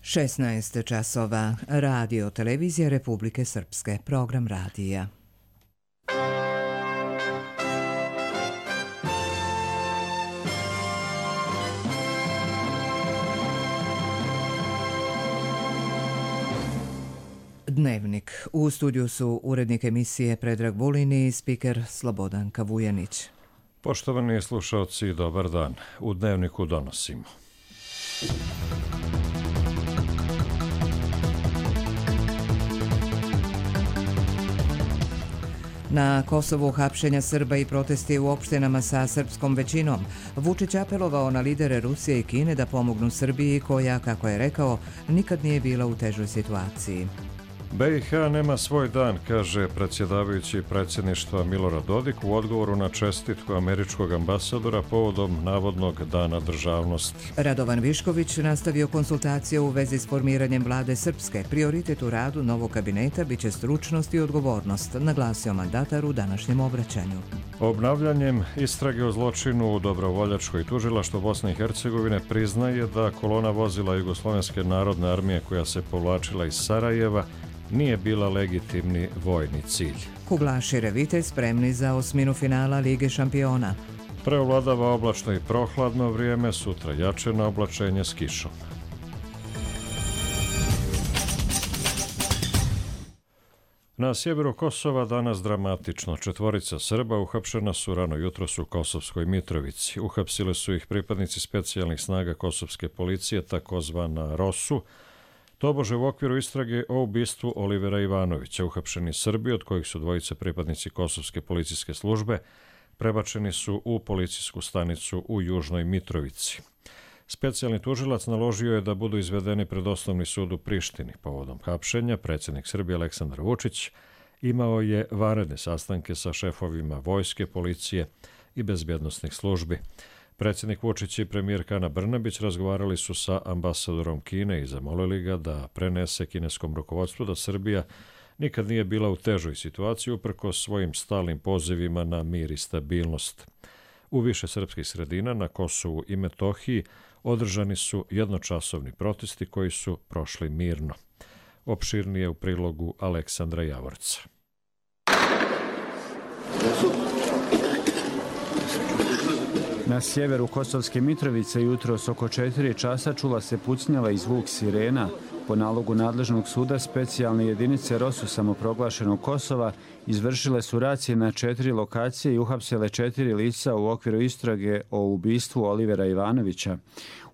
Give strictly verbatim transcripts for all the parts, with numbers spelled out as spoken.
šesnaest časova. Radio Televizija Republike Srpske. Program radija. Dnevnik. U studiju su urednik emisije Predrag Vulin i spiker Slobodan Kavujanić. Poštovani slušalci, dobar dan. U Dnevniku donosimo. Na Kosovu hapšenja Srba i protesti u opštinama sa srpskom većinom. Vučić apelovao na lidere Rusije i Kine da pomognu Srbiji koja, kako je rekao, nikad nije bila u težoj situaciji. B i H nema svoj dan, kaže predsjedavajući predsjedništva Milorad Dodik u odgovoru na čestitku američkog ambasadora povodom navodnog dana državnosti. Radovan Višković nastavio konsultacije u vezi s formiranjem vlade Srpske. Prioritet u radu novog kabineta biće stručnost i odgovornost, naglasio mandatar u današnjem obraćanju. Obnavljanjem istrage o zločinu u Dobrovoljačkoj tužilaštvo Bosne i Hercegovine priznaje da kolona vozila Jugoslovenske narodne armije koja se povlačila iz Sarajeva nije bila legitimni vojni cilj. Kuglaši Revite spremni za osminu finala Lige šampiona. Preovladava oblačno i prohladno vrijeme, sutra jače na oblačenje s kišom. Na sjeveru Kosova danas dramatično. Četvorica Srba uhapšena su rano jutros u Kosovskoj Mitrovici. Uhapsili su ih pripadnici specijalnih snaga kosovske policije, takozvana ROSU, tobože u okviru istrage o ubistvu Olivera Ivanovića. Uhapšeni Srbi, od kojih su dvojice pripadnici kosovske policijske službe, prebačeni su u policijsku stanicu u Južnoj Mitrovici. Specijalni tužilac naložio je da budu izvedeni pred osnovni sud u Prištini. Povodom hapšenja predsjednik Srbije Aleksandar Vučić imao je vanredne sastanke sa šefovima vojske, policije i bezbjednosnih službi. Predsjednik Vučić i premijerka Ana Brnabić razgovarali su sa ambasadorom Kine i zamolili ga da prenese kineskom rukovodstvu da Srbija nikad nije bila u težoj situaciji uprkos svojim stalnim pozivima na mir i stabilnost. U više srpskih sredina na Kosovu i Metohiji održani su jednočasovni protesti koji su prošli mirno. Opširnije u prilogu Aleksandra Javorca. Na sjeveru Kosovske Mitrovice jutros oko četiri časa čula se pucnjava i zvuk sirena. Po nalogu nadležnog suda specijalne jedinice ROSU samoproglašenog Kosova izvršile su racije na četiri lokacije i uhapsile četiri lica u okviru istrage o ubistvu Olivera Ivanovića.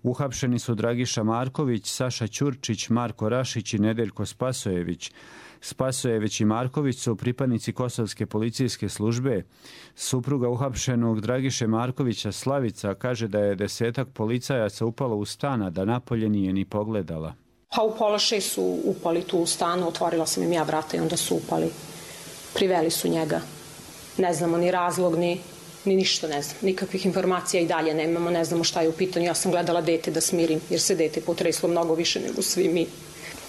Uhapšeni su Dragiša Marković, Saša Ćurčić, Marko Rašić i Nedeljko Spasojević. Spasojević i Marković su pripadnici kosovske policijske službe. Supruga uhapšenog Dragiše Markovića, Slavica, kaže da je desetak policajaca upalo u stan, a da napolje nije ni pogledala. Pa u pola šest su upali tu u stanu, otvorila sam im ja vrata i onda su upali. Priveli su njega. Ne znamo ni razlog, ni, ni ništa ne znam. Nikakvih informacija i dalje nemamo, ne znamo šta je u pitanju. Ja sam gledala dete da smirim, jer se dete potreslo mnogo više nego svi mi.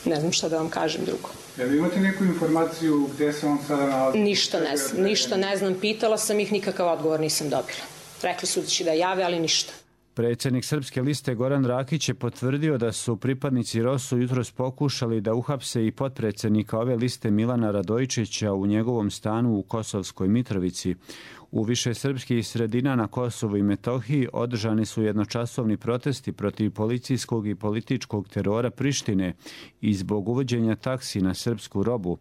Ne znam šta da vam kažem drugo. Ja, vi imate neku informaciju gdje se on sada nalazi? Ništa ne znam, ništa ne znam. Pitala sam ih, nikakav odgovor nisam dobila. Rekli su da će da jave, ali ništa. Predsjednik Srpske liste Goran Rakić je potvrdio da su pripadnici ROSU jutros pokušali da uhapse i potpredsjednika ove liste Milana Radojičića u njegovom stanu u Kosovskoj Mitrovici. U više srpskih sredina na Kosovu i Metohiji održani su jednočasovni protesti protiv policijskog i političkog terora Prištine i zbog uvođenja taksi na srpsku robu.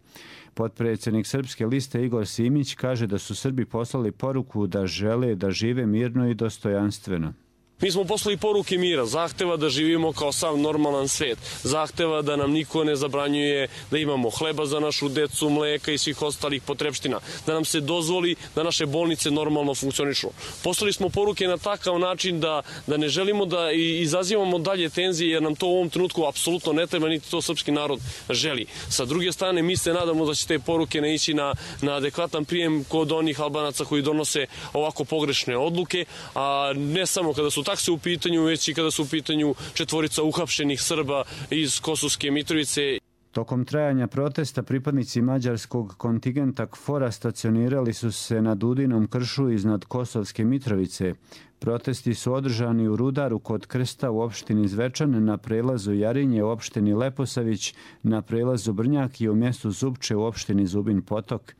Potpredsjednik Srpske liste Igor Simić kaže da su Srbi poslali poruku da žele da žive mirno i dostojanstveno. Mi smo poslali poruke mira, zahteva da živimo kao sav normalan svijet, zahteva da nam niko ne zabranjuje da imamo hleba za našu decu, mleka i svih ostalih potrebština, da nam se dozvoli da naše bolnice normalno funkcionišu. Poslali smo poruke na takav način da, da ne želimo da izazivamo dalje tenzije, jer nam to u ovom trenutku apsolutno ne treba, niti to srpski narod želi. Sa druge strane, mi se nadamo da će te poruke ne ići na, na adekvatan prijem kod onih Albanaca koji donose ovako pogrešne odluke, a ne samo kada su takse u pitanju, već i kada su u pitanju četvorica uhapšenih Srba iz Kosovske Mitrovice. Tokom trajanja protesta pripadnici mađarskog kontingenta KFOR-a stacionirali su se na Dudinom kršu iznad Kosovske Mitrovice. Protesti su održani u Rudaru kod Krsta u opštini Zvečan, na prelazu Jarinje u opštini Leposavić, na prelazu Brnjak i u mjestu Zupče u opštini Zubin Potok.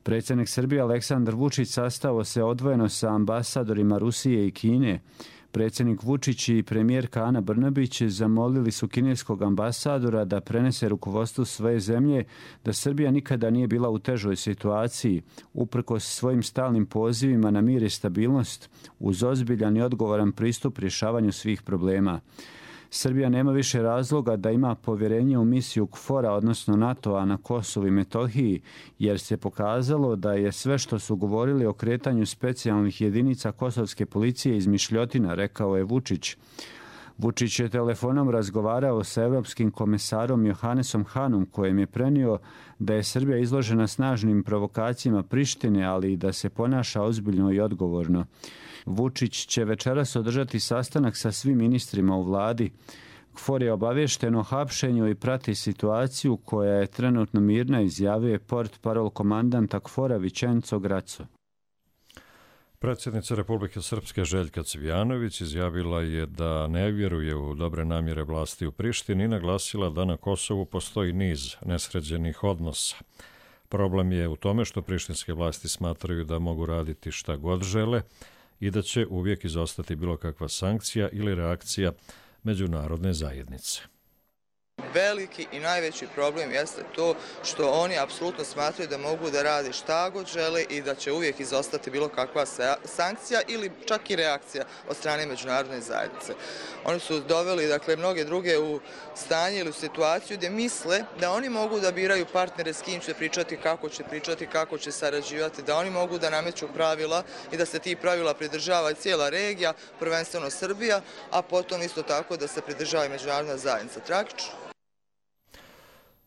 Predsjednik Srbije Aleksandar Vučić sastao se odvojeno sa ambasadorima Rusije i Kine. Predsjednik Vučić i premijerka Ana Brnabić zamolili su kineskog ambasadora da prenese rukovodstvu svoje zemlje da Srbija nikada nije bila u težoj situaciji, uprkos svojim stalnim pozivima na mir i stabilnost, uz ozbiljan i odgovoran pristup rješavanju svih problema. Srbija nema više razloga da ima povjerenje u misiju KFOR-a, odnosno NATO-a na Kosovu i Metohiji, jer se pokazalo da je sve što su govorili o kretanju specijalnih jedinica kosovske policije izmišljotina, rekao je Vučić. Vučić je telefonom razgovarao sa evropskim komesarom Johannesom Hanom, kojem je prenio da je Srbija izložena snažnim provokacijama Prištine, ali i da se ponaša ozbiljno i odgovorno. Vučić će večeras održati sastanak sa svim ministrima u vladi. KFOR je obavješten o hapšenju i prati situaciju koja je trenutno mirna, izjavio je portparol komandanta KFOR-a Vičenco Graco. Predsjednica Republike Srpske Željka Cvijanović izjavila je da ne vjeruje u dobre namjere vlasti u Prištini i naglasila da na Kosovu postoji niz nesređenih odnosa. Problem je u tome što prištinske vlasti smatraju da mogu raditi šta god žele i da će uvijek izostati bilo kakva sankcija ili reakcija međunarodne zajednice. Veliki i najveći problem jeste to što oni apsolutno smatraju da mogu da rade šta god žele i da će uvijek izostati bilo kakva sankcija ili čak i reakcija od strane međunarodne zajednice. Oni su doveli, dakle, mnoge druge u stanje ili u situaciju gdje misle da oni mogu da biraju partnere s kim će pričati, kako će pričati, kako će sarađivati, da oni mogu da nameću pravila i da se ti pravila pridržava i cijela regija, prvenstveno Srbija, a potom isto tako da se pridržava i međunarodna zajednica. Tragično.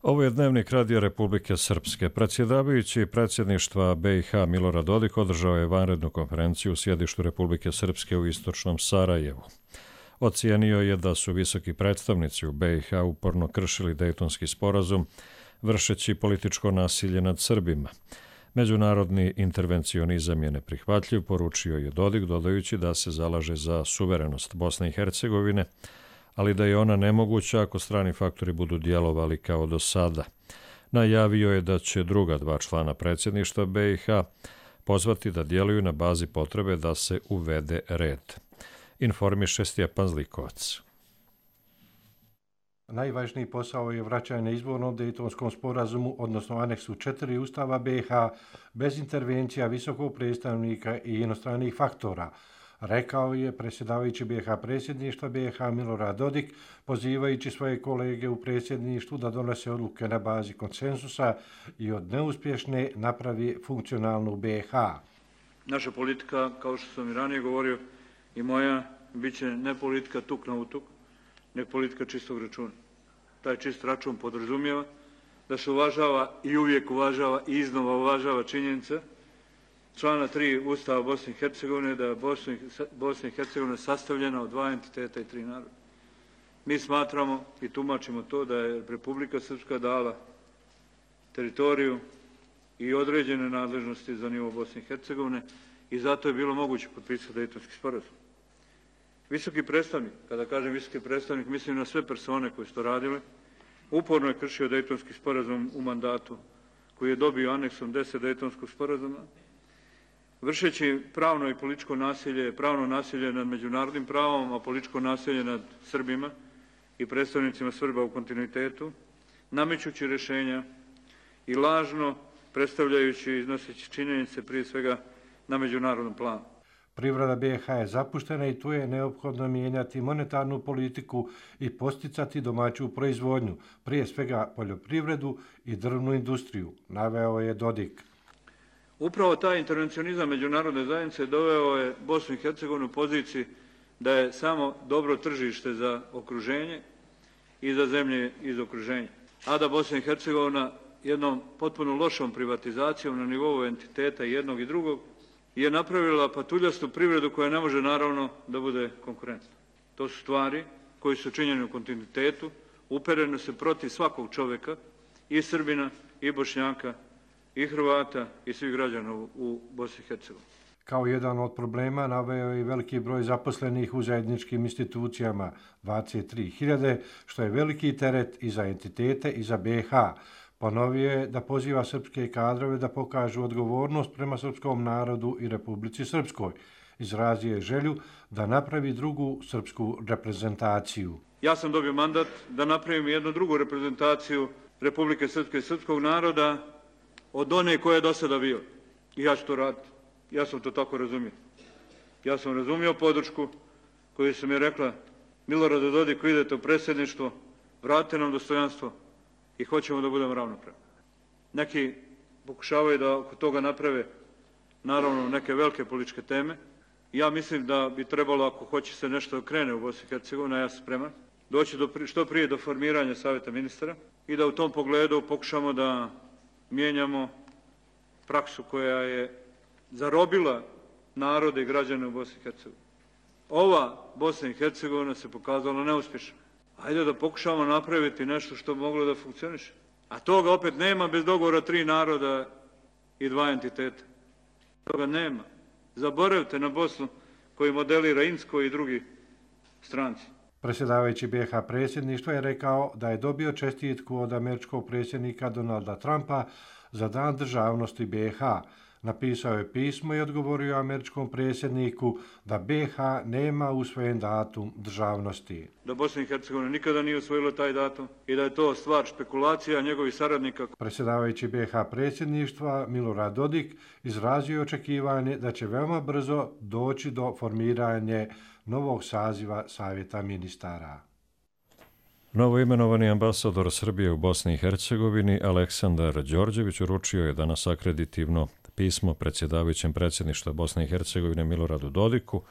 Ovo je Dnevnik Radija Republike Srpske. Predsjedavajući predsjedništva B i H Milorad Dodik održao je vanrednu konferenciju u sjedištu Republike Srpske u istočnom Sarajevu. Ocijenio je da su visoki predstavnici u B i H uporno kršili Dejtonski sporazum, vršeći političko nasilje nad Srbima. Međunarodni intervencionizam je neprihvatljiv, poručio je Dodik, dodajući da se zalaže za suverenost Bosne i Hercegovine, ali da je ona nemoguća ako strani faktori budu djelovali kao do sada. Najavio je da će druga dva člana predsjedništva B i H pozvati da djeluju na bazi potrebe da se uvede red. Informiše Stjepan Zlikovac. Najvažniji posao je vraćanje izvornom Dejtonskom sporazumu, odnosno aneksu četiri Ustava B i H, bez intervencija visokog predstavnika i inostranih faktora, rekao je predsjedavajući B i H predsjedništva B i H Milorad Dodik, pozivajući svoje kolege u predsjedništvu da donose odluke na bazi konsensusa i od neuspješne napravi funkcionalnu B i H. Naša politika, kao što sam i ranije govorio, i moja, bit će ne politika tuk na utuk, ne politika čistog računa. Taj čist račun podrazumijeva da se uvažava i uvijek uvažava i iznova uvažava činjenica člana tri Ustava Bosne i Hercegovine, da je Bosna i Hercegovina sastavljena od dva entiteta i tri naroda. Mi smatramo i tumačimo to da je Republika Srpska dala teritoriju i određene nadležnosti za nivo Bosne i Hercegovine i zato je bilo moguće potpisati Dejtonski sporazum. Visoki predstavnik, kada kažem visoki predstavnik, mislim na sve persone koje su to radile, uporno je kršio Dejtonski sporazum u mandatu koji je dobio aneksom deset Dejtonskog sporazuma, vršeći pravno i političko nasilje, pravno nasilje nad međunarodnim pravom, a političko nasilje nad Srbima i predstavnicima Srba u kontinuitetu, namećući rješenja i lažno predstavljajući i iznoseći činjenice prije svega na međunarodnom planu. Privreda B i H je zapuštena i tu je neophodno mijenjati monetarnu politiku i posticati domaću proizvodnju, prije svega poljoprivredu i drvnu industriju, naveo je Dodik. Upravo taj intervencionizam međunarodne zajednice doveo je Bosnu i Hercegovinu u poziciji da je samo dobro tržište za okruženje i za zemlje iz okruženja. A da Bosna i Hercegovina jednom potpuno lošom privatizacijom na nivou entiteta jednog i drugog je napravila patuljastu privredu koja ne može naravno da bude konkurentna. To su stvari koji su činjeni u kontinuitetu, upereno se protiv svakog čovjeka, i Srbina, i Bošnjaka, i Hrvata, i svih građana u, u Bosni i Hercegovini. Kao jedan od problema naveo je veliki broj zaposlenih u zajedničkim institucijama, dvadeset tri hiljade, što je veliki teret i za entitete i za B i H. Ponovio je da poziva srpske kadrove da pokažu odgovornost prema srpskom narodu i Republici Srpskoj. Izrazio je želju da napravi drugu srpsku reprezentaciju. Ja sam dobio mandat da napravim jednu drugu reprezentaciju Republike Srpske i srpskog naroda od one koje je do sada bio. I ja ću to raditi. Ja sam to tako razumio. Ja sam razumio podršku koju sam je rekla: Milorade Dodiku, idete u predsjedništvo, vratite nam dostojanstvo i hoćemo da budemo ravnopravni. Neki pokušavaju da oko toga naprave, naravno, neke velike političke teme. Ja mislim da bi trebalo, ako hoće se nešto krene u Bosni i Hercegovini, a ja sam spreman, doći do, što prije do formiranja Savjeta ministara i da u tom pogledu pokušamo da mijenjamo praksu koja je zarobila narode i građane u Bosni i Hercegovini. Ova Bosna i Hercegovina se pokazala neuspješna. Ajde da pokušamo napraviti nešto što bi moglo da funkcioniše. A toga opet nema bez dogovora tri naroda i dva entiteta. Toga nema. Zaboravite na Bosnu koju modelira Insko i drugi stranci. Predsjedavajući B i H predsjedništva je rekao da je dobio čestitku od američkog predsjednika Donalda Trumpa za Dan državnosti B i H. Napisao je pismo i odgovorio američkom predsjedniku da B i H nema usvojen datum državnosti. Da Bosna i Hercegovina nikada nije usvojila taj datum i da je to stvar špekulacija njegovih saradnika. Predsjedavajući B i H predsjedništva Milorad Dodik izrazio očekivanje da će veoma brzo doći do formiranja novog saziva Savjeta ministara. Novoimenovani ambasador Srbije u Bosni i Hercegovini Aleksandar Đorđević uručio je danas akreditivno pismo predsjedavajućem predsjedništva Bosne i Hercegovine Miloradu Dodiku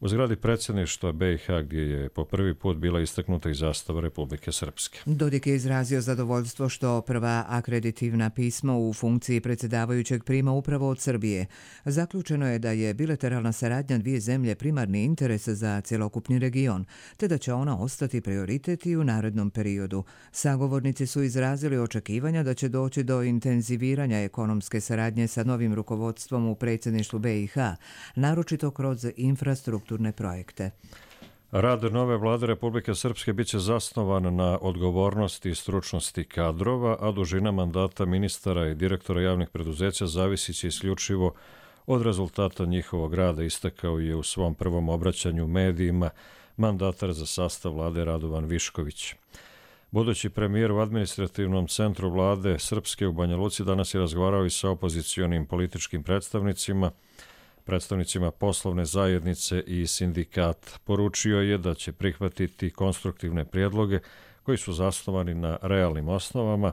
u zgradi predsjedništva B i H gdje je po prvi put bila istaknuta i zastava Republike Srpske. Dodik je izrazio zadovoljstvo što prva akreditivna pisma u funkciji predsjedavajućeg prima upravo od Srbije. Zaključeno je da je bilateralna saradnja dvije zemlje primarni interes za cjelokupni region, te da će ona ostati prioritet i u narednom periodu. Sagovornici su izrazili očekivanja da će doći do intenziviranja ekonomske saradnje sa novim rukovodstvom u predsjedništvu B i H, naročito kroz infrastrukturu projekte. Rad nove vlade Republike Srpske biće zasnovan na odgovornosti i stručnosti kadrova, a dužina mandata ministara i direktora javnih preduzeća zavisit će isključivo od rezultata njihovog rada, istakao je u svom prvom obraćanju medijima mandatar za sastav vlade Radovan Višković. Budući premijer u administrativnom centru vlade Srpske u Banja Luci danas je razgovarao i sa opozicionim političkim predstavnicima, predstavnicima poslovne zajednice i sindikata. Poručio je da će prihvatiti konstruktivne prijedloge koji su zasnovani na realnim osnovama,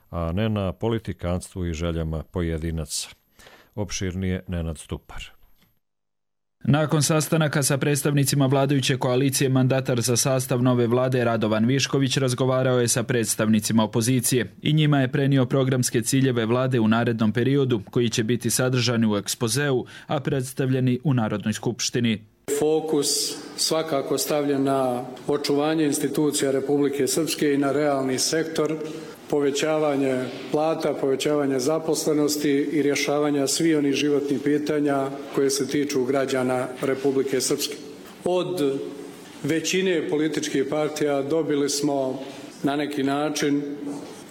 a ne na politikanstvu i željama pojedinaca. Opširnije Nenad Stupar. Nakon sastanaka sa predstavnicima vladajuće koalicije, mandatar za sastav nove vlade Radovan Višković razgovarao je sa predstavnicima opozicije i njima je prenio programske ciljeve vlade u narednom periodu koji će biti sadržani u ekspozeu, a predstavljeni u Narodnoj skupštini. Fokus svakako stavljen na očuvanje institucija Republike Srpske i na realni sektor, povećavanje plata, povećavanje zaposlenosti i rješavanja svih onih životnih pitanja koje se tiču građana Republike Srpske. Od većine političkih partija dobili smo na neki način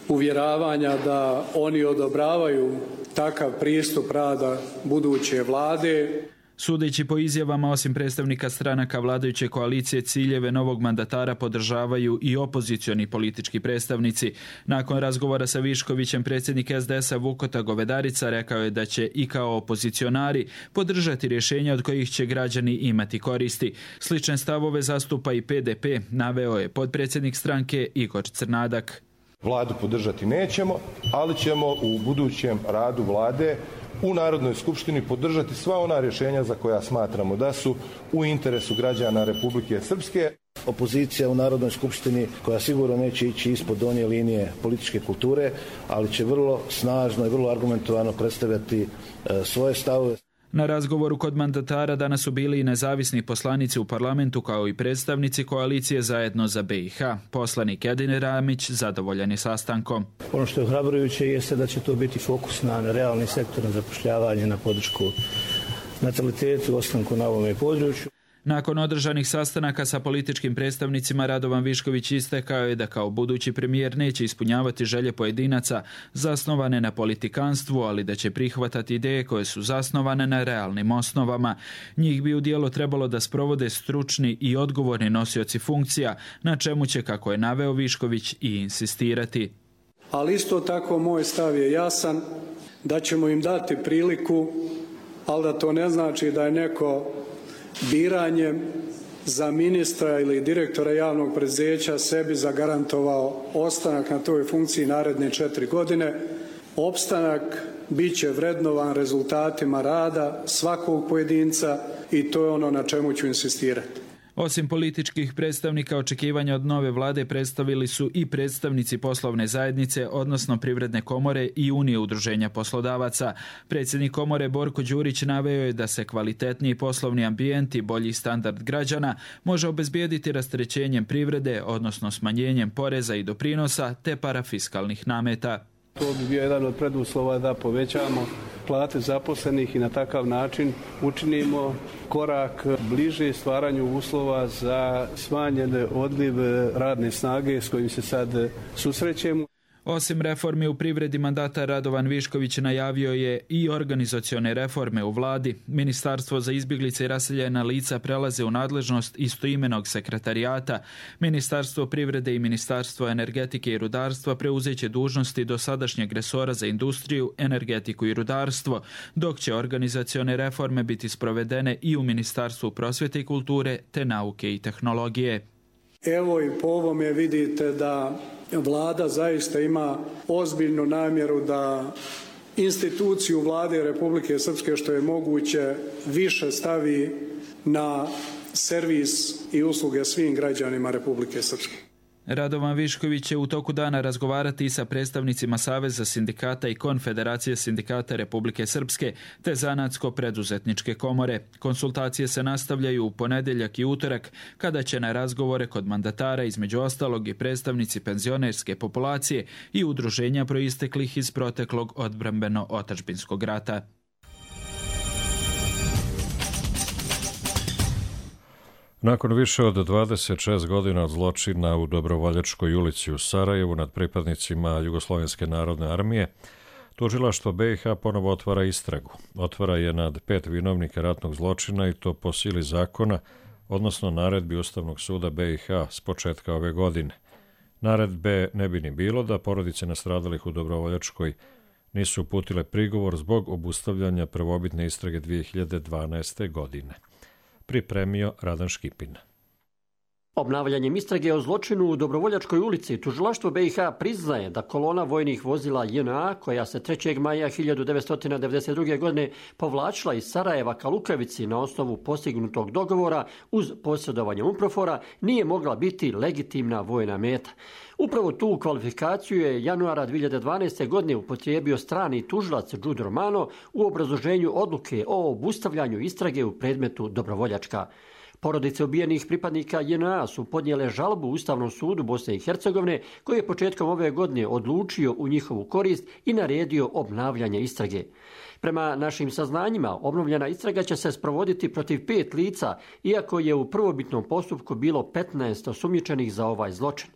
uvjeravanja da oni odobravaju takav pristup rada buduće vlade. Sudeći po izjavama, osim predstavnika stranaka vladajuće koalicije, ciljeve novog mandatara podržavaju i opozicioni politički predstavnici. Nakon razgovora sa Viškovićem, predsjednik es de es a Vukota Govedarica rekao je da će i kao opozicionari podržati rješenja od kojih će građani imati koristi. Slične stavove zastupa i pe de pe, naveo je potpredsjednik stranke Igor Crnadak. Vladu podržati nećemo, ali ćemo u budućem radu vlade u Narodnoj skupštini podržati sva ona rješenja za koja smatramo da su u interesu građana Republike Srpske. Opozicija u Narodnoj skupštini koja sigurno neće ići ispod donje linije političke kulture, ali će vrlo snažno i vrlo argumentovano predstavljati svoje stavove. Na razgovoru kod mandatara danas su bili i nezavisni poslanici u parlamentu kao i predstavnici koalicije Zajedno za B i H. Poslanik Edin Ramić zadovoljan je sastankom. Ono što je ohrabrujuće jeste da će to biti fokus na realni sektor, na zapošljavanje, na podršku natalitetu, ostanku na ovome području. Nakon održanih sastanaka sa političkim predstavnicima, Radovan Višković istakao je da kao budući premijer neće ispunjavati želje pojedinaca zasnovane na politikanstvu, ali da će prihvatati ideje koje su zasnovane na realnim osnovama. Njih bi u djelo trebalo da sprovode stručni i odgovorni nosioci funkcija, na čemu će, kako je naveo Višković, i insistirati. Ali isto tako moj stav je jasan, da ćemo im dati priliku, ali da to ne znači da je neko biranjem za ministra ili direktora javnog preduzeća sebi zagarantovao ostanak na toj funkciji naredne četiri godine. Opstanak bit će vrednovan rezultatima rada svakog pojedinca i to je ono na čemu ću insistirati. Osim političkih predstavnika, očekivanja od nove vlade predstavili su i predstavnici poslovne zajednice, odnosno Privredne komore i Unije udruženja poslodavaca. Predsjednik komore Borko Đurić naveo je da se kvalitetniji poslovni ambijent i bolji standard građana može obezbijediti rasterećenjem privrede, odnosno smanjenjem poreza i doprinosa te parafiskalnih nameta. To bi bio jedan od preduslova da povećamo plate zaposlenih i na takav način učinimo korak bliže stvaranju uslova za smanjen odliv radne snage s kojim se sad susrećemo. Osim reformi u privredi, mandatar Radovan Višković najavio je i organizacione reforme u vladi. Ministarstvo za izbjeglice i raseljena lica prelaze u nadležnost istoimenog sekretarijata. Ministarstvo privrede i Ministarstvo energetike i rudarstva preuzeće dužnosti dosadašnjeg resora za industriju, energetiku i rudarstvo, dok će organizacione reforme biti sprovedene i u Ministarstvu prosvjete i kulture te nauke i tehnologije. Evo i po ovome vidite da Vlada zaista ima ozbiljnu namjeru da instituciju Vlade Republike Srpske što je moguće više stavi na servis i usluge svim građanima Republike Srpske. Radovan Višković će u toku dana razgovarati i sa predstavnicima Saveza sindikata i Konfederacije sindikata Republike Srpske te Zanatsko-preduzetničke komore. Konsultacije se nastavljaju u ponedjeljak i utorak, kada će na razgovore kod mandatara između ostalog i predstavnici penzionerske populacije i udruženja proisteklih iz proteklog odbrambeno-otadžbinskog rata. Nakon više od dvadeset šest godina od zločina u Dobrovoljačkoj ulici u Sarajevu nad pripadnicima Jugoslovenske narodne armije, tužilaštvo B i H ponovo otvara istragu. Otvara je nad pet vinovnika ratnog zločina i to po sili zakona, odnosno naredbi Ustavnog suda B i H s početka ove godine. Naredbe ne bi ni bilo da porodice nastradalih u Dobrovoljačkoj nisu uputile prigovor zbog obustavljanja prvobitne istrage dvije hiljade dvanaeste. godine. Pripremio Radan Škipin. Obnavljanjem istrage o zločinu u Dobrovoljačkoj ulici, tužilaštvo B i H priznaje da kolona vojnih vozila J N A, koja se trećeg maja hiljadu devetsto devedeset druge. godine povlačila iz Sarajeva ka Lukavici na osnovu postignutog dogovora uz posjedovanje UNPROFOR-a, nije mogla biti legitimna vojna meta. Upravo tu kvalifikaciju je januara dvije hiljade dvanaeste. godine upotrijebio strani tužilac Đudo Romano u obrazloženju odluke o obustavljanju istrage u predmetu Dobrovoljačka. Porodice ubijenih pripadnika J N A su podnijele žalbu Ustavnom sudu Bosne i Hercegovine, koji je početkom ove godine odlučio u njihovu korist i naredio obnavljanje istrage. Prema našim saznanjima, obnovljena istraga će se sprovoditi protiv pet lica, iako je u prvobitnom postupku bilo petnaest osumnjičenih za ovaj zločin.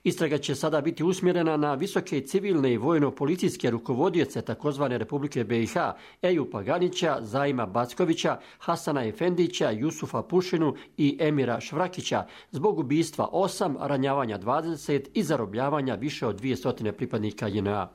Istraga će sada biti usmjerena na visoke civilne i vojno-policijske rukovodioce tzv. Republike B i H, Ejupa Ganića, Zaima Backovića, Hasana Efendića, Jusufa Pušinu i Emira Švrakića zbog ubistva osam, ranjavanja dvadeset i zarobljavanja više od dvjesto pripadnika J N A.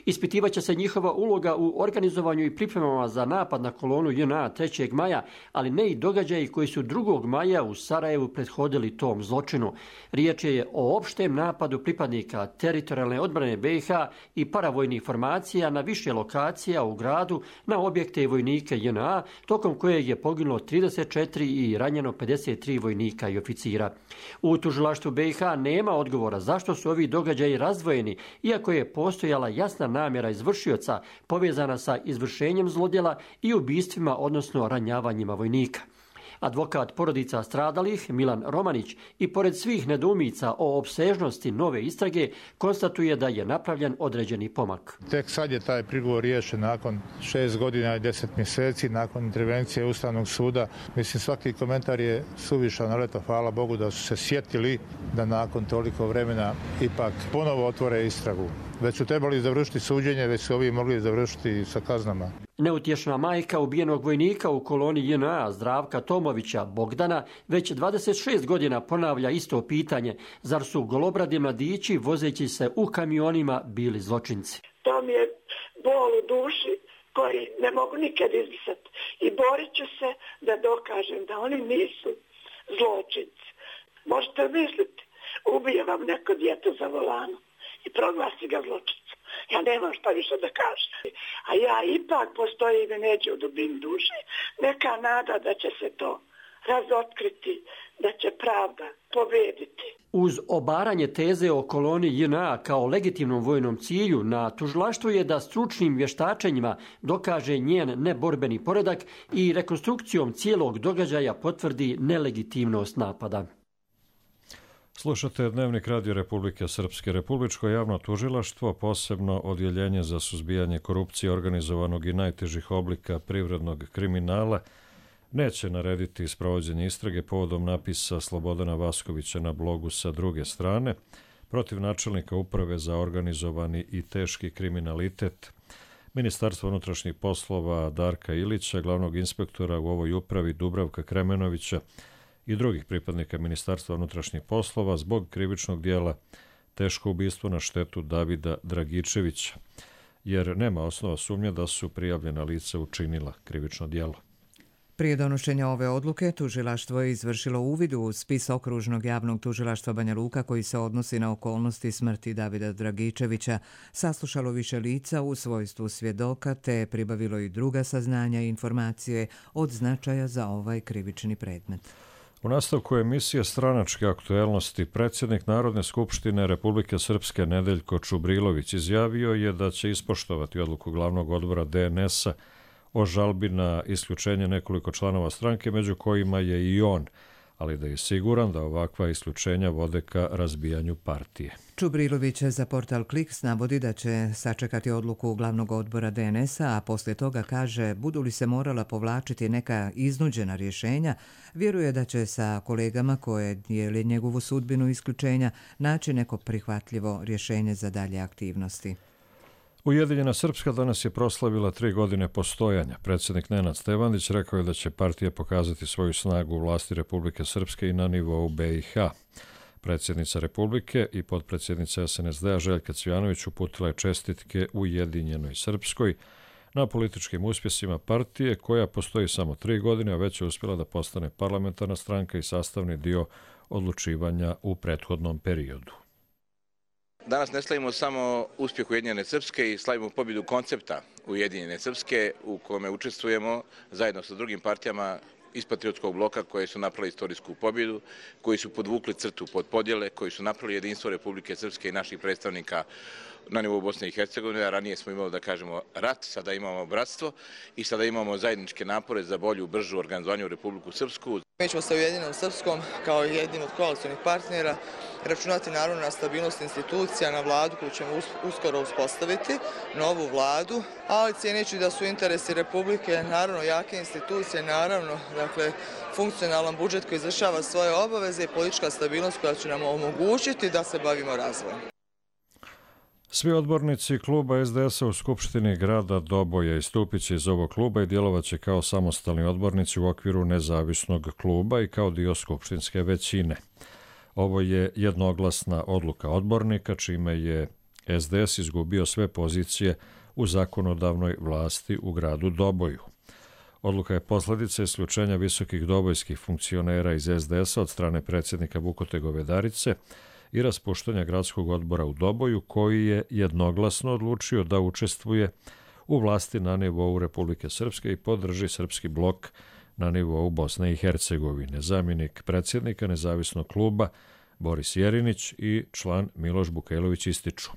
Ispitivaće se njihova uloga u organizovanju i pripremama za napad na kolonu J N A trećeg maja, ali ne i događaji koji su drugog maja u Sarajevu prethodili tom zločinu. Riječ je o opštem napadu napadu pripadnika teritorijalne odbrane B i H i paravojnih formacija na više lokacija u gradu na objekte i vojnike J N A, tokom kojeg je poginulo trideset četiri i ranjeno pedeset tri vojnika i oficira. U tužilaštvu B i H nema odgovora zašto su ovi događaji razdvojeni, iako je postojala jasna namjera izvršioca povezana sa izvršenjem zlodjela i ubistvima, odnosno ranjavanjima vojnika. Advokat porodica stradalih Milan Romanić i pored svih nedoumica o opsežnosti nove istrage konstatuje da je napravljen određeni pomak. Tek sad je taj prigovor riješen nakon šest godina i deset mjeseci, nakon intervencije Ustavnog suda. Mislim, svaki komentar je suvišan, ali eto, hvala Bogu da su se sjetili da nakon toliko vremena ipak ponovo otvore istragu. Već su trebali završiti suđenje, već su ovi mogli završiti sa kaznama. Neutješna majka ubijenog vojnika u koloni J N A Zdravka Tomovića Bogdana već dvadeset šest godina ponavlja isto pitanje. Zar su golobradi mladići vozeći se u kamionima bili zločinci? To mi je bol u duši koji ne mogu nikad izbrisati. I borit ću se da dokažem da oni nisu zločinci. Možete misliti, ubije vam neko dijete za volanom i proglasi ga zločincem. Ja nemam šta više da kažem. A ja ipak postoji i neđe u dubini duše neka nada da će se to razotkriti, da će pravda pobediti. Uz obaranje teze o koloni J N A kao legitimnom vojnom cilju, na tužilaštvu je da stručnim vještačenjima dokaže njen neborbeni poredak i rekonstrukcijom cijelog događaja potvrdi nelegitimnost napada. Slušate Dnevnik Radio Republike Srpske. Republičko javno tužilaštvo, posebno odjeljenje za suzbijanje korupcije organizovanog i najtežih oblika privrednog kriminala, neće narediti sprovođenje istrage povodom napisa Slobodana Vaskovića na blogu Sa druge strane protiv načelnika uprave za organizovani i teški kriminalitet Ministarstva unutrašnjih poslova Darka Ilića, glavnog inspektora u ovoj upravi Dubravka Kremenovića i drugih pripadnika Ministarstva unutrašnjih poslova zbog krivičnog dijela teško ubistvo na štetu Davida Dragičevića, jer nema osnova sumnje da su prijavljena lica učinila krivično dijelo. Prije donošenja ove odluke, tužilaštvo je izvršilo uvid u spis okružnog javnog tužilaštva Banja Luka koji se odnosi na okolnosti smrti Davida Dragičevića, saslušalo više lica u svojstvu svjedoka te pribavilo i druga saznanja i informacije od značaja za ovaj krivični predmet. U nastavku emisije Stranačke aktuelnosti predsjednik Narodne skupštine Republike Srpske Nedeljko Čubrilović izjavio je da će ispoštovati odluku glavnog odbora D N S-a o žalbi na isključenje nekoliko članova stranke, među kojima je i on, ali da je siguran da ovakva isključenja vode ka razbijanju partije. Čubrilović za portal Kliks navodi da će sačekati odluku glavnog odbora D N S-a, a poslije toga kaže, budu li se morala povlačiti neka iznuđena rješenja, vjeruje da će sa kolegama koje dijele njegovu sudbinu isključenja naći neko prihvatljivo rješenje za dalje aktivnosti. Ujedinjena Srpska danas je proslavila tri godine postojanja. Predsjednik Nenad Stevandić rekao je da će partija pokazati svoju snagu u vlasti Republike Srpske i na nivou B i H. Predsjednica Republike i potpredsjednica S N S D-a Željka Cvjanović uputila je čestitke Ujedinjenoj Srpskoj na političkim uspjesima partije koja postoji samo tri godine, a već je uspjela da postane parlamentarna stranka i sastavni dio odlučivanja u prethodnom periodu. Danas ne slavimo samo uspjeh Ujedinjene Srpske i slavimo pobjedu koncepta Ujedinjene Srpske u kome učestvujemo zajedno sa drugim partijama iz Patriotskog bloka koje su napravili istorijsku pobjedu, koji su podvukli crtu pod podjele, koji su napravili jedinstvo Republike Srpske i naših predstavnika na nivou Bosne i Hercegovine, a ranije smo imali, da kažemo, rat, sada imamo bratstvo i sada imamo zajedničke napore za bolju, bržu organizovanju Republiku Srpsku. Mi ćemo sa Ujedinjenom Srpskom kao jednim od koalicionih partnera računati naravno na stabilnost institucija, na vladu koju ćemo uskoro uspostaviti, novu vladu, ali cijeneći da su interesi Republike, naravno jake institucije, naravno dakle, funkcionalan budžet koji izvršava svoje obaveze i politička stabilnost koja će nam omogućiti da se bavimo razvojem. Svi odbornici kluba S D S-a u Skupštini grada Doboja istupit će iz ovog kluba i djelovaće kao samostalni odbornici u okviru nezavisnog kluba i kao dio skupštinske većine. Ovo je jednoglasna odluka odbornika, čime je S D S izgubio sve pozicije u zakonodavnoj vlasti u gradu Doboju. Odluka je posljedica isključenja visokih dobojskih funkcionera iz S D S-a od strane predsjednika Vukote Govedarice i raspuštanja gradskog odbora u Doboju, koji je jednoglasno odlučio da učestvuje u vlasti na nivou Republike Srpske i podrži srpski blok na nivou Bosne i Hercegovine. Zamjenik predsjednika nezavisnog kluba Boris Jerinić i član Miloš Bukajlović ističu.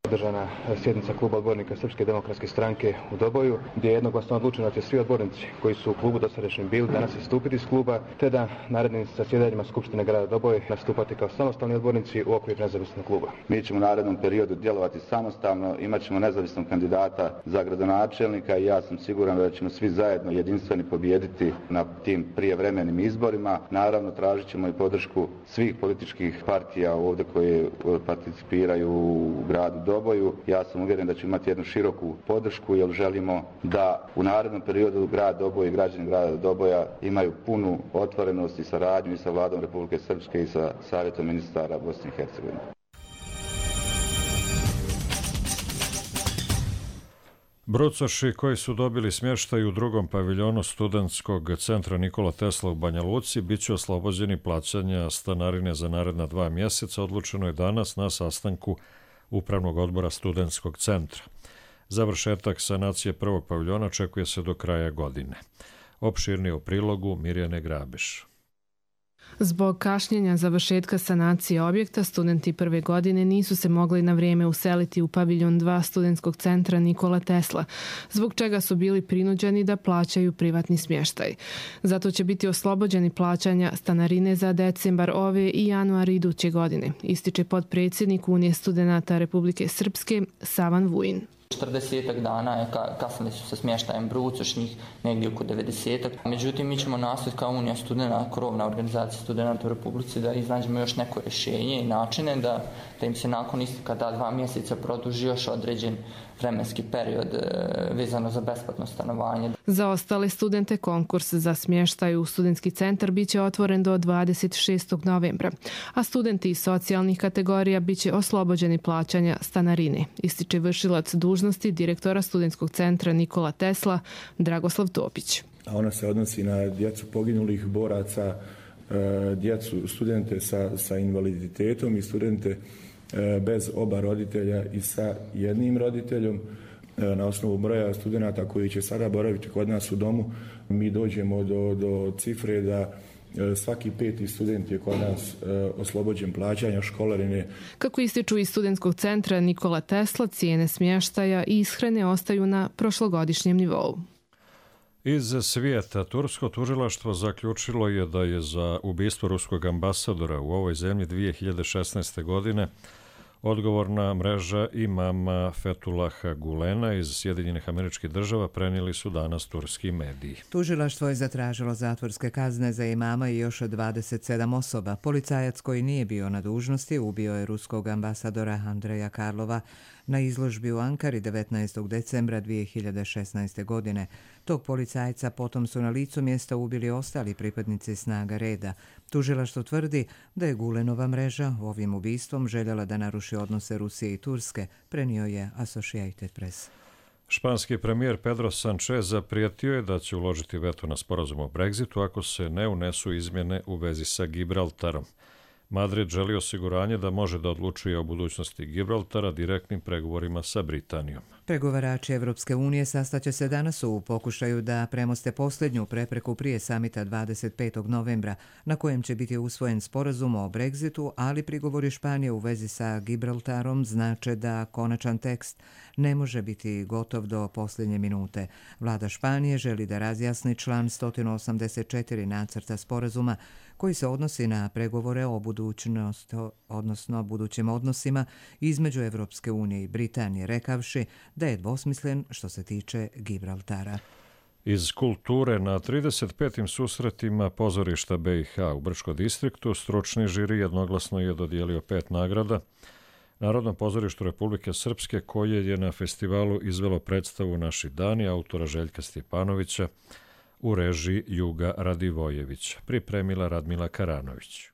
Održana sjednica kluba odbornika Srpske demokratske stranke u Doboju, gdje je jednoglasno odlučeno da će svi odbornici koji su u klubu dosadašnjem bili danas istupiti iz kluba, te da narednim zasjedanjima Skupštine grada Doboj nastupati kao samostalni odbornici u okviru nezavisnog kluba. Mi ćemo u narednom periodu djelovati samostalno, imat ćemo nezavisnog kandidata za gradonačelnika i ja sam siguran da ćemo svi zajedno jedinstveni pobijediti na tim prijevremenim izborima. Naravno, tražit ćemo i podršku svih političkih partija ovdje koje participiraju u gradu Doboju. Doboju. Ja sam uvjeren da ćemo imati jednu široku podršku jer želimo da u narednom periodu grad Doboj i građani grada Doboja imaju punu otvorenost i saradnju i sa vladom Republike Srpske i sa savjetom ministara Bosne i Hercegovine. Brucoši koji su dobili smještaj u drugom paviljonu studentskog centra Nikola Tesla u Banja Luci bit će oslobođeni plaćanja stanarine za naredna dva mjeseca, odlučeno je danas na sastanku Upravnog odbora studentskog centra. Završetak sanacije prvog paviljona očekuje se do kraja godine. Opširnije u prilogu Mirjane Grabiš. Zbog kašnjenja završetka sanacije objekta, studenti prve godine nisu se mogli na vrijeme useliti u paviljon dva studentskog centra Nikola Tesla, zbog čega su bili prinuđeni da plaćaju privatni smještaj. Zato će biti oslobođeni plaćanja stanarine za decembar ove i januar iduće godine, ističe potpredsjednik Unije studenata Republike Srpske Savan Vujin. četrdesetak dana je kasnili su sa smještajem Brucošnjih, negdje oko devedesetak. Međutim, mi ćemo nastaviti kao Unija studenta, krovna organizacija studenta u Republici, da iznađemo još neko rješenje i načine da, da im se nakon isteka ta dva mjeseca produži još određen vremenski period vezano za besplatno stanovanje. Za ostale studente konkurs za smještaj u studentski centar biće otvoren do dvadeset šestog novembra, a studenti iz socijalnih kategorija biće oslobođeni plaćanja stanarine, ističe vršilac dužnosti direktora studentskog centra Nikola Tesla Dragoslav Topić. A ona se odnosi na djecu poginulih boraca, djecu, studente sa, sa invaliditetom i studente bez oba roditelja i sa jednim roditeljom. Na osnovu broja studenata koji će sada boraviti kod nas u domu, mi dođemo do, do cifre da svaki peti student je kod nas oslobođen plaćanja školarine. Kako ističu iz studentskog centra Nikola Tesla, cijene smještaja i ishrane ostaju na prošlogodišnjem nivou. Iz svijeta, tursko tužilaštvo zaključilo je da je za ubistvo ruskog ambasadora u ovoj zemlji dvije hiljade šesnaeste. godine odgovorna mreža imama Fetulaha Gulena iz Sjedinjenih Američkih Država, prenijeli su danas turski mediji. Tužilaštvo je zatražilo zatvorske kazne za imama i još dvadeset sedam osoba. Policajac koji nije bio na dužnosti ubio je ruskog ambasadora Andreja Karlova na izložbi u Ankari devetnaestog decembra dvije hiljade šesnaeste. godine. Tog policajca potom su na licu mjesta ubili ostali pripadnici snaga reda. Tužilaštvo tvrdi da je Gulenova mreža ovim ubistvom željela da naruši odnose Rusije i Turske, prenio je Associated Press. Španski premijer Pedro Sánchez zaprijetio je da će uložiti veto na sporazum o Brexitu ako se ne unesu izmjene u vezi sa Gibraltarom. Madrid želi osiguranje da može da odlučuje o budućnosti Gibraltara direktnim pregovorima sa Britanijom. Pregovarači Evropske unije sastaće se danas u pokušaju da premoste posljednju prepreku prije samita dvadeset petog novembra, na kojem će biti usvojen sporazum o Brexitu, ali prigovori Španije u vezi sa Gibraltarom znače da konačan tekst ne može biti gotov do posljednje minute. Vlada Španije želi da razjasni član sto osamdeset četiri nacrta sporazuma koji se odnosi na pregovore o budućnosti, odnosno budućim odnosima između Evropske unije i Britanije, rekavši da je dvosmislen što se tiče Gibraltara. Iz kulture na trideset petim susretima pozorišta B i H u Brčkom distriktu stručni žiri jednoglasno je dodijelio pet nagrada Narodnom pozorištu Republike Srpske, koje je na festivalu izvelo predstavu Naši dani autora Željka Stjepanovića u režiji Juga Radivojevića, pripremila Radmila Karanović.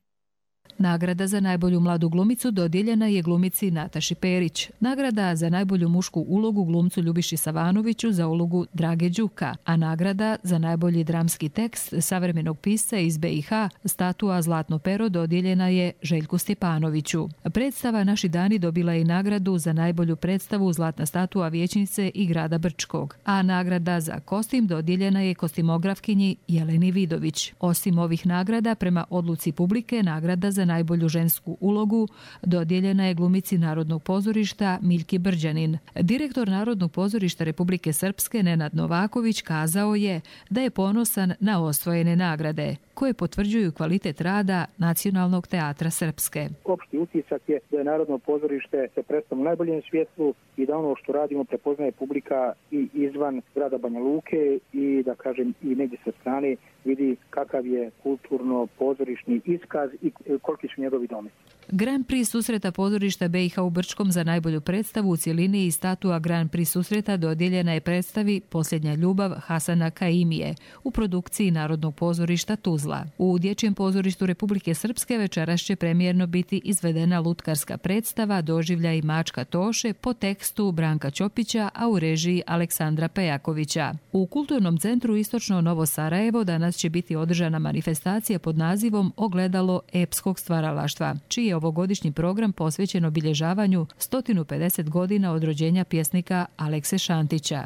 Nagrada za najbolju mladu glumicu dodijeljena je glumici Nataši Perić. Nagrada za najbolju mušku ulogu glumcu Ljubiši Savanoviću za ulogu Drage Đuka, a nagrada za najbolji dramski tekst savremenog pisca iz B i H statua Zlatno pero dodijeljena je Željku Stjepanoviću. Predstava Naši dani dobila je i nagradu za najbolju predstavu Zlatna statua vijećnice i grada Brčkog, a nagrada za kostim dodijeljena je kostimografkinji Jeleni Vidović. Osim ovih nagrada, prema odluci publike, nagrada za najbolju žensku ulogu dodijeljena je glumici Narodnog pozorišta Miljki Brđanin. Direktor Narodnog pozorišta Republike Srpske Nenad Novaković kazao je da je ponosan na osvojene nagrade, koje potvrđuju kvalitet rada Nacionalnog teatra Srpske. Opšti utisak je da je Narodno pozorište se predstavlja u najboljem svjetlu i da ono što radimo prepoznaje publika i izvan grada Banja Luke i da kažem i negdje sa strane vidi kakav je kulturno-pozorišni iskaz i koliki su njegovi dometi. Grand Prix susreta pozorišta B i H u Brčkom za najbolju predstavu u cjelini i statua Grand Prix susreta dodijeljena je predstavi Posljednja ljubav Hasana Kaimije u produkciji Narodnog pozorišta Tuzla. U Dječjem pozorištu Republike Srpske večeras će premijerno biti izvedena lutkarska predstava Doživljaj Mačka Toše po tekstu Branka Ćopića, a u režiji Aleksandra Pejakovića. U Kulturnom centru Istočno Novo Sarajevo danas će biti održana manifestacija pod nazivom Ogledalo epskog stvaralaštva, čiji je ovogodišnji program posvećen obilježavanju sto pedeset godina od rođenja pjesnika Alekse Šantića.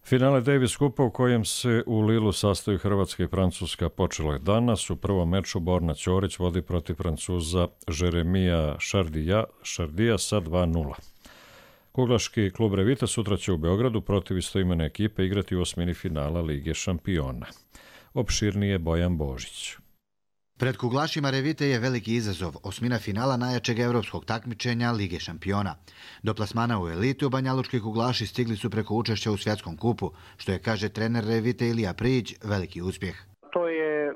Finale Davis Kupa u kojem se u Lilu sastaju Hrvatska i Francuska počelo je danas. U prvom meču Borna Ćorić vodi protiv Francuza Jeremija Šardija, Šardija sa dva nula. Kuglaški klub Revita sutra će u Beogradu protiv istoimene ekipe igrati u osmini finala Lige šampiona. Opširnije Bojan Božić. Pred kuglašima Revite je veliki izazov, osmina finala najjačeg europskog takmičenja Lige šampiona. Do plasmana u elitu banjalučki kuglaši stigli su preko učešća u svjetskom kupu, što je, kaže trener Revite Ilija Prijić, veliki uspjeh. To je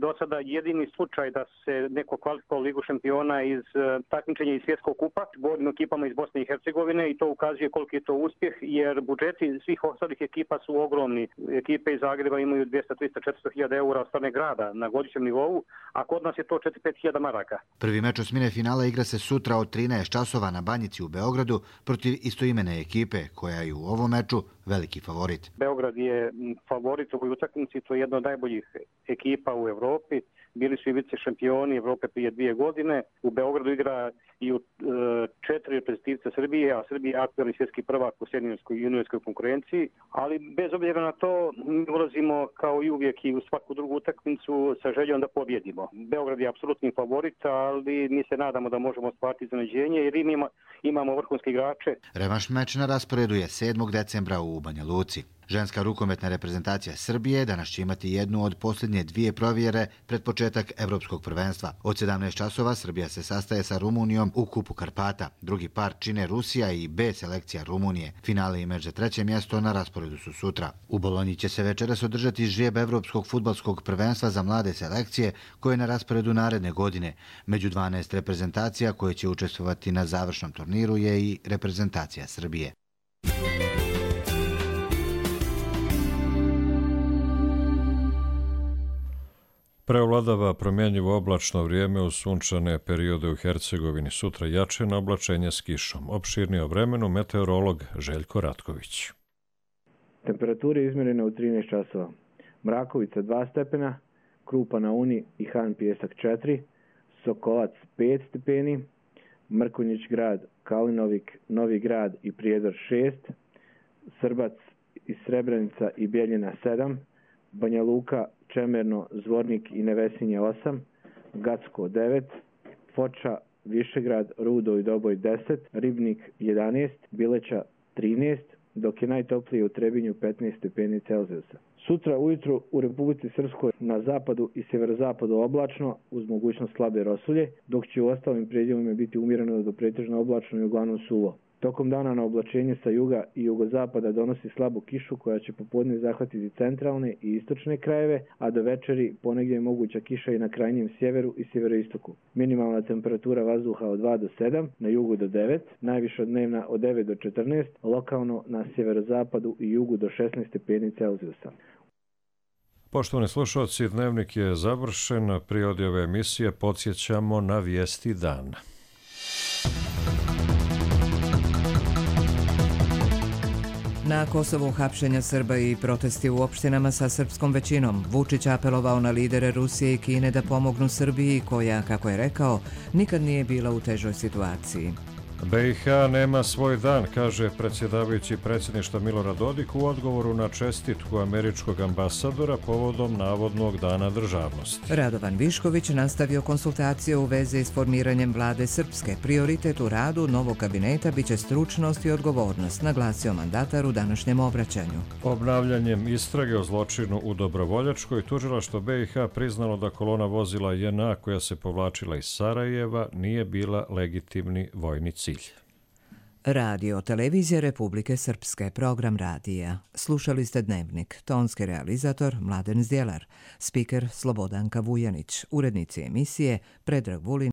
do sada jedini slučaj da se neko kvalifikovao Ligu šampiona iz takmičenja iz svjetskog kupa bornim ekipama iz Bosne i Hercegovine i to ukazuje koliki je to uspjeh jer budžeti svih ostalih ekipa su ogromni. Ekipe iz Zagreba imaju dvjesto, tristo, četiristo hiljada eura od strane grada na godišnjem nivou, a kod nas je to četiri do pet hiljada maraka. Prvi meč osmine finala igra se sutra od trinaest časova na Banjici u Beogradu protiv istoimene ekipe koja je u ovom meču veliki favorit. Beograd je favorit u ovoj utakmici, to je jedna od najboljih ekipa u Evropi. Bili su i vice šampioni Evrope prije dvije godine. U Beogradu igra i u e, četiri reprezentativca Srbije, a Srbija je aktualni svjetski prvak u seniorskoj i juniorskoj konkurenciji. Ali bez obzira na to, mi ulazimo kao i uvijek i u svaku drugu utakmicu sa željom da pobjedimo. Beograd je apsolutni favorit, ali mi se nadamo da možemo ostvariti iznenađenje jer ima, imamo vrhunske igrače. Revanš meč na rasporedu je sedmog decembra u Banja Luci. Ženska rukometna reprezentacija Srbije danas će imati jednu od posljednje dvije provjere pred početak Evropskog prvenstva. Od sedamnaest časova Srbija se sastaje sa Rumunijom u Kupu Karpata. Drugi par čine Rusija i B selekcija Rumunije. Finale i meč za treće mjesto na rasporedu su sutra. U Bolonji će se večeras održati žrijeb Evropskog fudbalskog prvenstva za mlade selekcije koje je na rasporedu naredne godine. Među dvanaest reprezentacija koje će učestvovati na završnom turniru je i reprezentacija Srbije. Preovladava promjenjivo oblačno vrijeme u sunčane periode u Hercegovini. Sutra jačeno oblačenje s kišom. Opširnije o vremenu meteorolog Željko Ratković. Temperature izmjerene u trinaest časova. Mrakovica dva stepena, Krupa na Uni i Han Pijesak četiri, Sokolac pet stepeni, Mrkonjić grad, Kalinovik, Novi grad i Prijedor šest, Srbac i Srebrenica i Bjeljina sedam, Banja Luka, Čemerno, Zvornik i Nevesinje osam, Gacko devet, Foča, Višegrad, Rudo i Doboj deset, Ribnik jedanaest, Bileća trinaest, dok je najtoplije u Trebinju petnaest stepeni Celzijusa. Sutra ujutru u Republici Srpskoj na zapadu i sjeverozapadu oblačno uz mogućnost slabe rosulje, dok će u ostalim predjelima biti umjereno do pretežno oblačno i uglavnom suvo. Tokom dana na oblačenje sa juga i jugozapada donosi slabu kišu koja će popodne zahvatiti centralne i istočne krajeve, a do večeri ponegdje je moguća kiša i na krajnjem sjeveru i sjeveroistoku. Minimalna temperatura vazduha od dva do sedam, na jugu do devet, najviša dnevna od devet do četrnaest, lokalno na sjeverozapadu i jugu do šesnaest stepeni Celzijusa. Poštovani slušalci, dnevnik je završen. Prije odjave emisije podsjećamo na vijesti dana. Na Kosovu hapšenja Srba i protesti u opštinama sa srpskom većinom. Vučić apelovao na lidere Rusije i Kine da pomognu Srbiji koja, kako je rekao, nikad nije bila u težoj situaciji. B i H nema svoj dan, kaže predsjedavajući predsjedništva Milorad Dodik u odgovoru na čestitku američkog ambasadora povodom navodnog dana državnosti. Radovan Višković nastavio konsultacije u vezi s formiranjem vlade Srpske. Prioritet u radu novog kabineta biće stručnost i odgovornost, naglasio mandatar u današnjem obraćanju. Obnavljanjem istrage o zločinu u Dobrovoljačkoj, tužilaštvo B i H priznalo da kolona vozila J N A koja se povlačila iz Sarajeva nije bila legitimni vojni cilj. Radio Televizija Republike Srpske, program radija. Slušali ste Dnevnik, tonski realizator Mladen Zdjelar, spiker Slobodanka Vujanić, urednici emisije Predrag Vulin